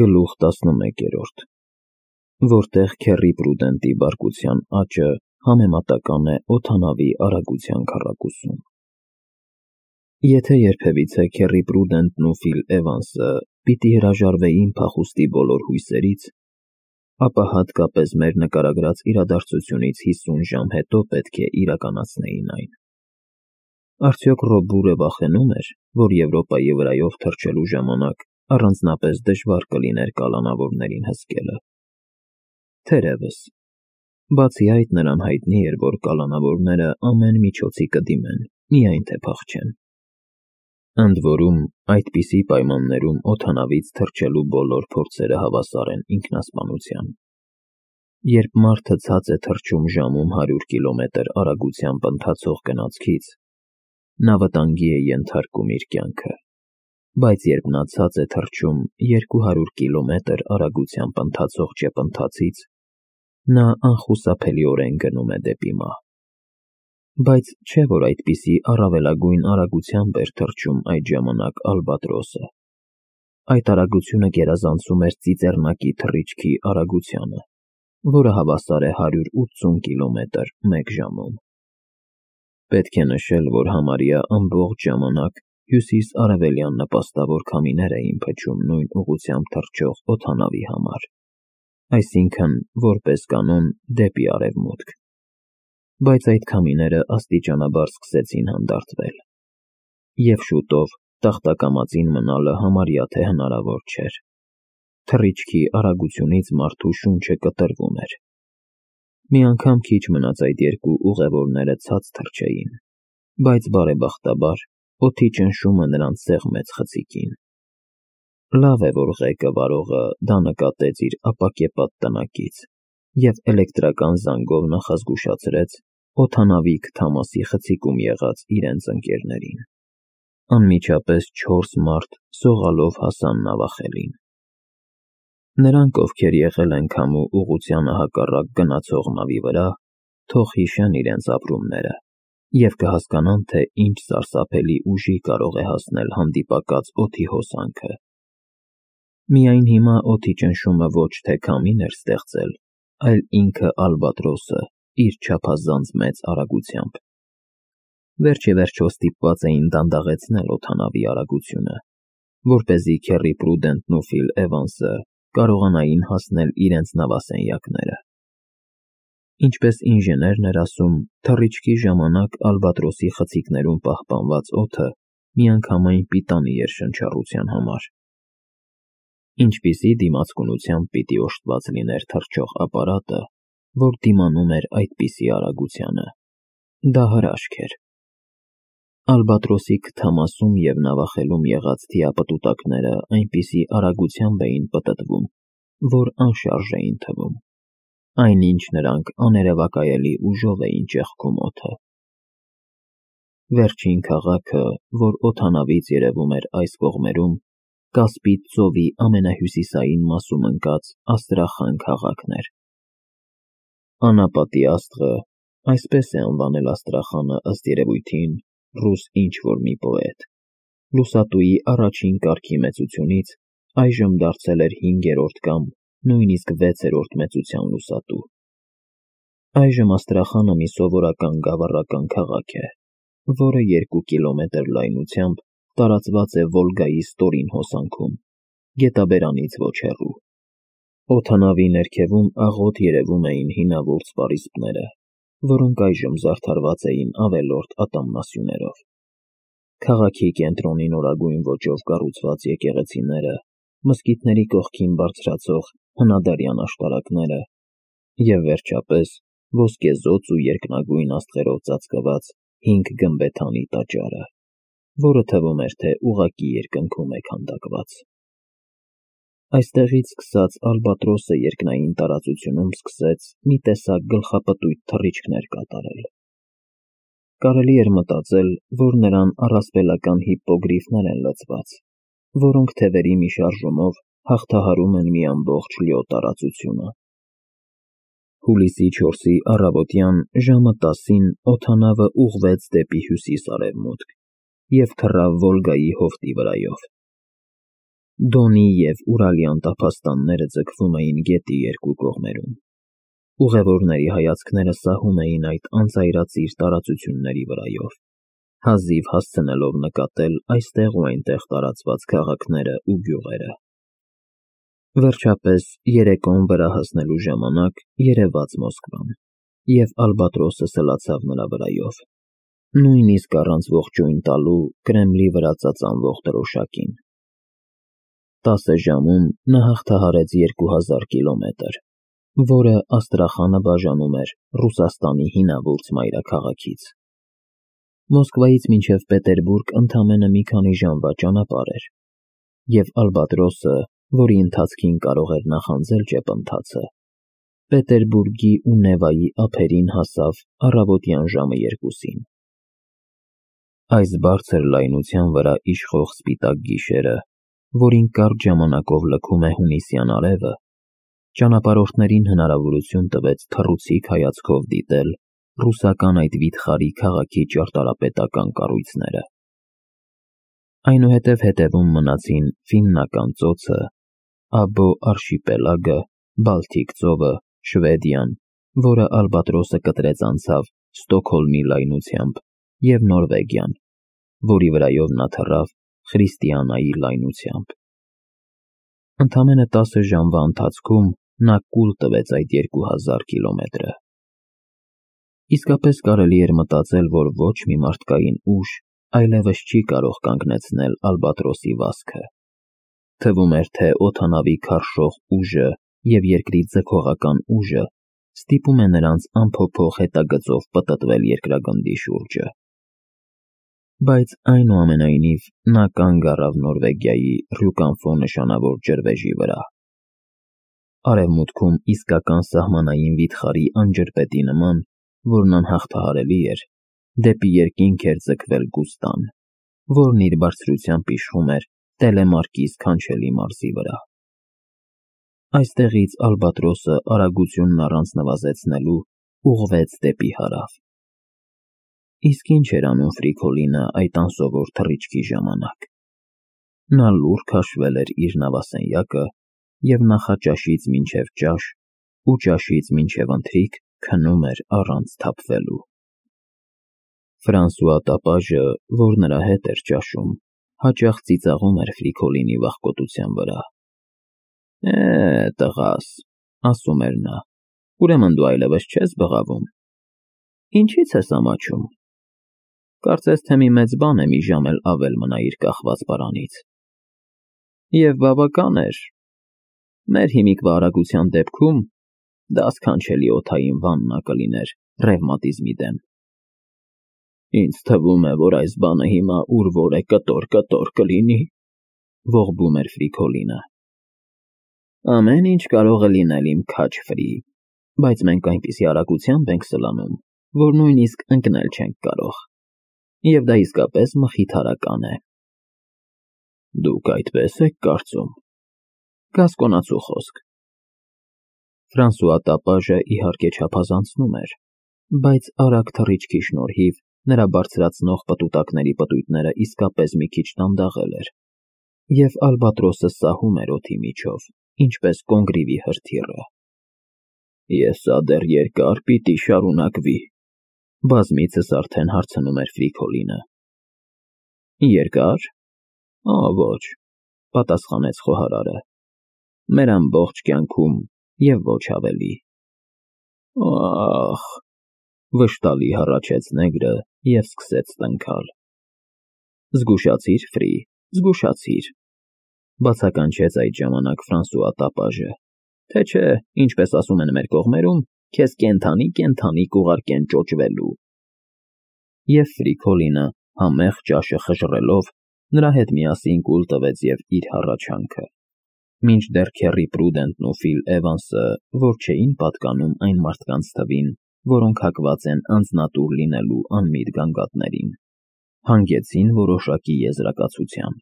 Գլուխ 11, որտեղ Քեռի Պրուդենտի բարկության աճը համեմատական է օդանավի արագության քառակուսուն։ Եթե երբևիցե Քեռի Պրուդենտն ու Ֆիլ Էվանսը պիտի հրաժարվեին փախուստի բոլոր հույսերից, ապա հատկապես մեր նկարագրած իրադարձությունից 50 ժամ հետո պետք է իրականացնեին այն։ Արդյոք Ռոբուրը վախենում էր, որ Եվրոպայի վրայով թռչելու ժամանակ առանձնապես դժվար կլիներ կալանավորներին հսկելը։ Թերևս, բացի այդ նրան հայտնի էր, որ կալանավորները ամեն միջոցի կդիմեն, միայն թե փախչեն։ Ընդ որում, այդպիսի պայմաններում օդանավից թռչելու բոլոր փորձերը հավասար են ինքնասպանության։ Երբ մարդը ցած է թռչում ժամում 100 կիլոմետր արագությամբ ընթացող գնացքից, նա վտանգի է ենթարկում իր կյանքը, բայց երբ նա ցած է թռչում 200 կիլոմետր արագությամբ ընթացող ճեպընթացից, նա անխուսափելիորեն գնում է դեպի մահ։ Բայց չէ՞ որ այդպիսի առավելագույն արագությամբ էր թռչում այդ ժամանակ Ալբատրոսը։ Այդ արագությունը գերազանցում էր ծիծեռնակի թռիչքի արագությանը, որը հավասար է 180 կիլոմետր մեկ ժամում։ Պետք է նշել, որ համարյա ամբողջ ժամանակ հյուսիս-արևելյան նպաստավոր քամիներ էին փչում նույն ուղղությամբ թռչող օդանավի համար, այսինքն, որպես կանոն, դեպի արևմուտք։ Բայց այդ քամիները աստիճանաբար սկսեցին հանդարտվել, և շուտով տախտակամածին մնալը համարյա թե հնարավոր չէր։ Թռիչքի արագությունից մարդու շունչը կտրվում էր։ Մի անգամ քիչ մնաց այդ երկու ուղևորները ցած թռչեին, բայց բարեբախտաբար օդի ճնշումը նրանց սեղմեց խցիկին։ Լավ է, որ ղեկը վարողը դա նկատեց իր ապակեպատ տնակից և էլեկտրական զանգով նախազգուշացրեց օդանավի քթամասի խցիկում եղած իրենց ընկերներին։ Անմիջապես 4 մարդ սողալով հասան նավախելին։ Նրանք, ովքեր եղել են քամու ուղղությանը հակառակ գնացող նավի վրա, թող հիշեն իրենց ապրումները և կհասկանան, թե ինչ սարսափելի ուժի կարող է հասնել հանդիպակաց օդի հոսանքը։ Միայն հիմա օդի ճնշումը ոչ թե քամին էր ստեղծել, այլ ինքը Ալբատրոսը իր չափազանց մեծ արագությամբ։ Վերջ-ի-վերջո ստիպված էին դանդաղեցնել օդանավի արագությունը, որպեսզի Քեռի Պրուդենտն ու Ֆիլ Էվանսը կարողանային հասնել իրենց նավասենյակները։ Ինչպես ինժեներն էր ասում, թռիչքի ժամանակ Ալբատրոսի խցիկներում պահպանված օդը միանգամայն պիտանի էր շնչառության համար։ Ինչպիսի դիմացկունությամբ պիտի օժտված լիներ թռչող ապարատը, որ դիմանում էր այդպիսի արագությանը։ Դա հրաշք էր։ Ալբատրոսի քթամասում և նավախելում եղած թիապտուտակները այնպիսի արագությամբ էին պտտվում, որ անշարժ էին թվում, այնինչ նրանք աներևակայելի ուժով էին ճեղքում օդը։ Վերջին քաղաքը, որ օդանավից երևում էր այս կողմերում, Կասպից ծովի ամենահյուսիսային մասում ընկած Աստրախան քաղաքն էր։ Անապատի աստղը, այսպես է անվանել Աստրախանը ըստ երևույթին ռուս ինչ-որ մի պոետ, լուսատուի առաջին կարգի մեծությունից այժմ դարձել էր 5-րդ կամ նույնիսկ 6-րդ մեծության լուսատու։ Այժմ Աստրախանը մի սովորական գավառական քաղաք է, որը 2 կիլոմետր լայնությամբ տարածված է Վոլգայի ստորին հոսանքում, գետաբերանից ոչ հեռու։ Օդանավի ներքևում աղոտ երևում էին հինավուրց պարիսպները, որոնք այժմ զարդարված էին ավելորդ ատամնասյուներով։ Քաղաքի կենտրոնի նորագույն ոճով կառուցված եկեղեցիները, մզկիթների կողքին բարձրացող հնադարյան աշտարակները և, վերջապես, ոսկեզօծ ու երկնագույն աստղերով ծածկված 5 գմբեթանի տաճարը, որը թվում էր, թե ուղղակի երկնքում է քանդակված։ Այստեղից սկսած Ալբատրոսը երկնային տարածությունում սկսեց մի տեսակ գլխապտույտ թռիչքներ կատարել։ Կարելի էր մտածել, որ նրան առասպելական հիպպոգրիֆներ են լցված, որոնք թևերի մի շարժումով հաղթահարում են մի ամբողջ լիո տարածությունը։ Հուլիսի 4-ի առավոտյան ժամը 10-ին օդանավը ուղղվեց դեպի հյուսիս-արևմուտք և թռավ Վոլգայի հովտի վրայով։ Դոնի և Ուրալի անտափաստանները ձգվում էին գետի երկու կողմերում։ Ուղևորների հայացքները սահում էին այդ անծայրածիր տարածությունների վրայով, հազիվ հասցնելով նկատել այստեղ ու այնտեղ տարածված քաղաքները ու գյուղերը։ Վերջապես, երեկոն վրա հասնելու ժամանակ երևաց Մոսկվան, և Ալբատրոսը սլացավ նրա վրայով, նույնիսկ առանց ողջույն տալու Կրեմլի վրա ծածանվող դրոշակին։ 10 ժամում նա հաղթահարեց 2000 կիլոմետր, որը Աստրախանը բաժանում էր Ռուսաստանի հինավուրց մայրաքաղաքից։ Մոսկվայից մինչև Պետերբուրգ ընդամենը մի քանի ժամվա ճանապարհ էր, և Ալբատրոսը, որի ընթացքին կարող էր նախանձել ճեպընթացը, Պետերբուրգի ու Նևայի ափերին հասավ առավոտյան ժամը 2-ին։ Այս բարձր լայնության վրա իշխող սպիտակ գիշերը, որին կարճ ժամանակով լքում է հունիսյան արևը, ճանապարհորդներին հնարավորություն տվեց թռուցիկ հայացքով դիտել ռուսական այդ վիթխարի քաղաքի ճարտարապետական կառույցները։ Այնուհետև հետևում մնացին Ֆիննական ծոցը, Աբո արշիպելագը, Բալթիկ ծովը, Շվեդիան, որը Ալբատրոսը կտրեց անցավ Ստոկհոլմի լայնությամբ, և Նորվեգիան, որի վրայով նա թռավ Խրիստիանայի լայնությամբ։ Ընդամենը 10 ժամվա ընթացքում նա կուլ տվեց այդ 2000 կիլոմետրը։ Իսկապես կարելի էր մտածել, որ ոչ մի մարդկային ուժ այլևս չի կարող կանգնեցնել Ալբատրոսի վազքը։ Թվում էր, թե օդանավի քարշող ուժը և երկրի ձգողական ուժը ստիպում է նրանց անփոփոխ հետագծով պտտվել երկրագնդի շուրջը։ Բայց այնուամենայնիվ նա կանգ առավ Նորվեգիայի Ռյուկանֆո նշանավոր ջրվեժի վրա։ Արևմուտքում իսկական սահմանային վիթխարի անջրպետի նման, որն անհաղթահարելի էր, դեպի երկինք էր ձգվել Գուստան, որն իր բարձրությամբ իշխում էր Տելեմարկի սքանչելի մարզի վրա։ Այստեղից Ալբատրոսը արագությունն առանց նվազեցնելու ուղղվեց դեպի հարավ։ Իսկ ինչ էր անում Ֆրիկոլինը այդ անսովոր թռիչքի ժամանակ։ Նա լուռ քաշվել էր իր նավասենյակը և նախաճաշից մինչև ճաշ ու ճաշից մինչև ընթրիք քնում էր առանց թափվելու։ Ֆրանսուଆ տապաժը, որ նրա հետ էր ճաշում, հաճախ ծիծաղում էր Ֆրիկոլինի վախկոտության վրա։ Տղաս, ասում էր նա, ուրեմն դու այլևս չես բղավում։ Ինչի՞ց ես ամաչում։ Կարծես թե մի մեծ բան է մի ժամ էլ ավել մնայիր կախված պարանից։ Եվ բավական էր։ Մեր հիմիկվա արագության դեպքում դա սքանչելի օդային վաննա կլիներ ռևմատիզմի դեմ։ Ինձ թվում է, որ այս բանը հիմա ուր որ է կտոր կլինի, ողբում էր Ֆրիկոլինը։ Ամեն ինչ կարող է լինել իմ քաչ Ֆրի, բայց մենք այնպիսի արագությամբ ենք սլանում, որ նույնիսկ ընկնել չենք կարող, և դա իսկապես մխիթարական է։ Դուք այդպես եք կարծում։ Գասկոնացու խոսք։ Ֆրանսուଆ տապաժը իհարկե չափազանցնում էր, բայց արագ թռիչքի շնորհիվ նրա բարձրացնող պտուտակների պտույտները իսկապես մի քիչ դանդաղել էր, և Ալբատրոսը սահում էր օդի միջով, ինչպես կոնգրիվի հրթիռը։ Ես սա դեռ երկար պիտի շարունակվի, բազմիցս արդեն հարցնում էր Ֆրիկոլինը։ Երկար։ Ոչ, պատասխանեց խոհարարը, մեր ամբողջ կյանքում և ոչ ավելի։ Ախ, վշտալի հառաչեց նեգրը և սկսեց տնքալ։ Զգուշացիր, Ֆրի, զգուշացիր, բացականչեց այդ ժամանակ Ֆրանսուଆ տապաժը, թե չէ, ինչպես ասում են մեր կողմերում, քեզ կենդանի կուղարկեն ճոճվելու։ Եվ Ֆրիկոլինը համեղ ճաշը խժռելով նրա հետ միասին կուլ տվեց և իր հառաչանքը, մինչդեռ Քեռի Պրուդենտն ու Ֆիլ Էվանսը, որ չէին պատկանում այն մարդկանց թվին, որոնք հակված են անձնատուր լինելու անմիտ գանգատներին, հանգեցին որոշակի եզրակացության։